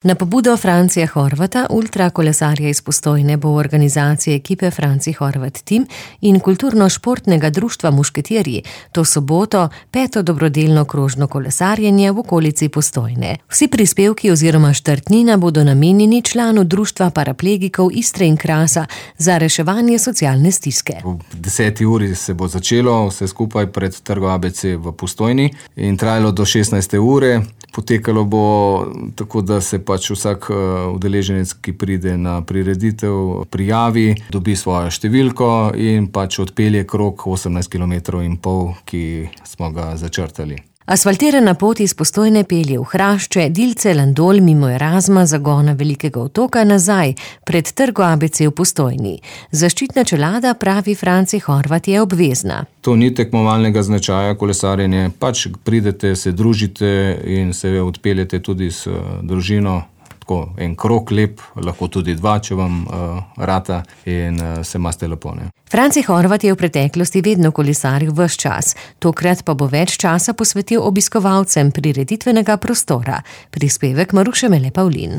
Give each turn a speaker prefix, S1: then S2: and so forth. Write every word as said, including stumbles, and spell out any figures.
S1: Na pobudo Francija Horvata, ultrakolesarja iz Postojne, bo v organizaciji ekipe Franci Horvat Team in kulturno-športnega društva Mušketirji to soboto peto dobrodelno krožno kolesarjenje v okolici Postojne. Vsi prispevki oziroma štartnina bodo namenjeni članu društva paraplegikov Istre in Krasa za reševanje socialne stiske.
S2: V deseti uri se bo začelo vse skupaj pred trgom A B C v Postojni in trajalo do šestnajste ure. Potekalo bo tako, da se pač vsak udeleženec, ki pride na prireditev, prijavi, dobi svojo številko in pač odpelje krog osemnajst kilometrov in pol, ki smo ga začrtali.
S1: Asfaltirana pot iz Postojne pelje v Hrašče, Dilce, Landol, mimo Erasma, zagona Velikega otoka nazaj, pred trgo A B C v Postojni. Zaščitna čelada, pravi Franci Horvat, je obvezna.
S2: To ni tekmovalnega značaja kolesarjenje, pač pridete, se družite in se odpeljete tudi s družino. En krog lep, lahko tudi dva, če vam uh, rata in uh, se imate lepo. Ne?
S1: Franci Horvat je v preteklosti vedno kolesaril ves čas, tokrat pa bo več časa posvetil obiskovalcem prireditvenega prostora. Prispevek Maruše Mele Pavlin.